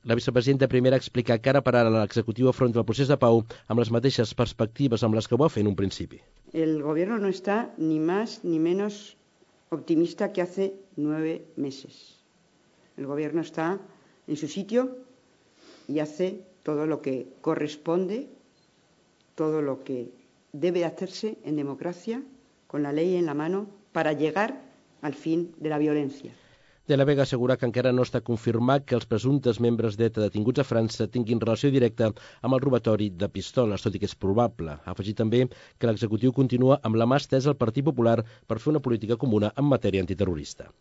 La vicepresidenta primera ha explicat que ara per ara l'executiu afronta el procés de pau amb les mateixes perspectives amb les que ho va fer en un principi. El gobierno no está ni más ni menos optimista que hace 9 meses. El gobierno está en su sitio y hace todo lo que corresponde, todo lo que debe hacerse en democracia, con la ley en la mano, para llegar al fin de la violencia. De la Vega assegura que encara no està confirmat que els presumptes membres d'ETA detinguts a França tinguin relació directa amb el robatori de pistoles, tot i que és probable. Ha afegit també que l'executiu continua amb la mà estesa al Partit Popular per fer una política comuna en matèria antiterrorista.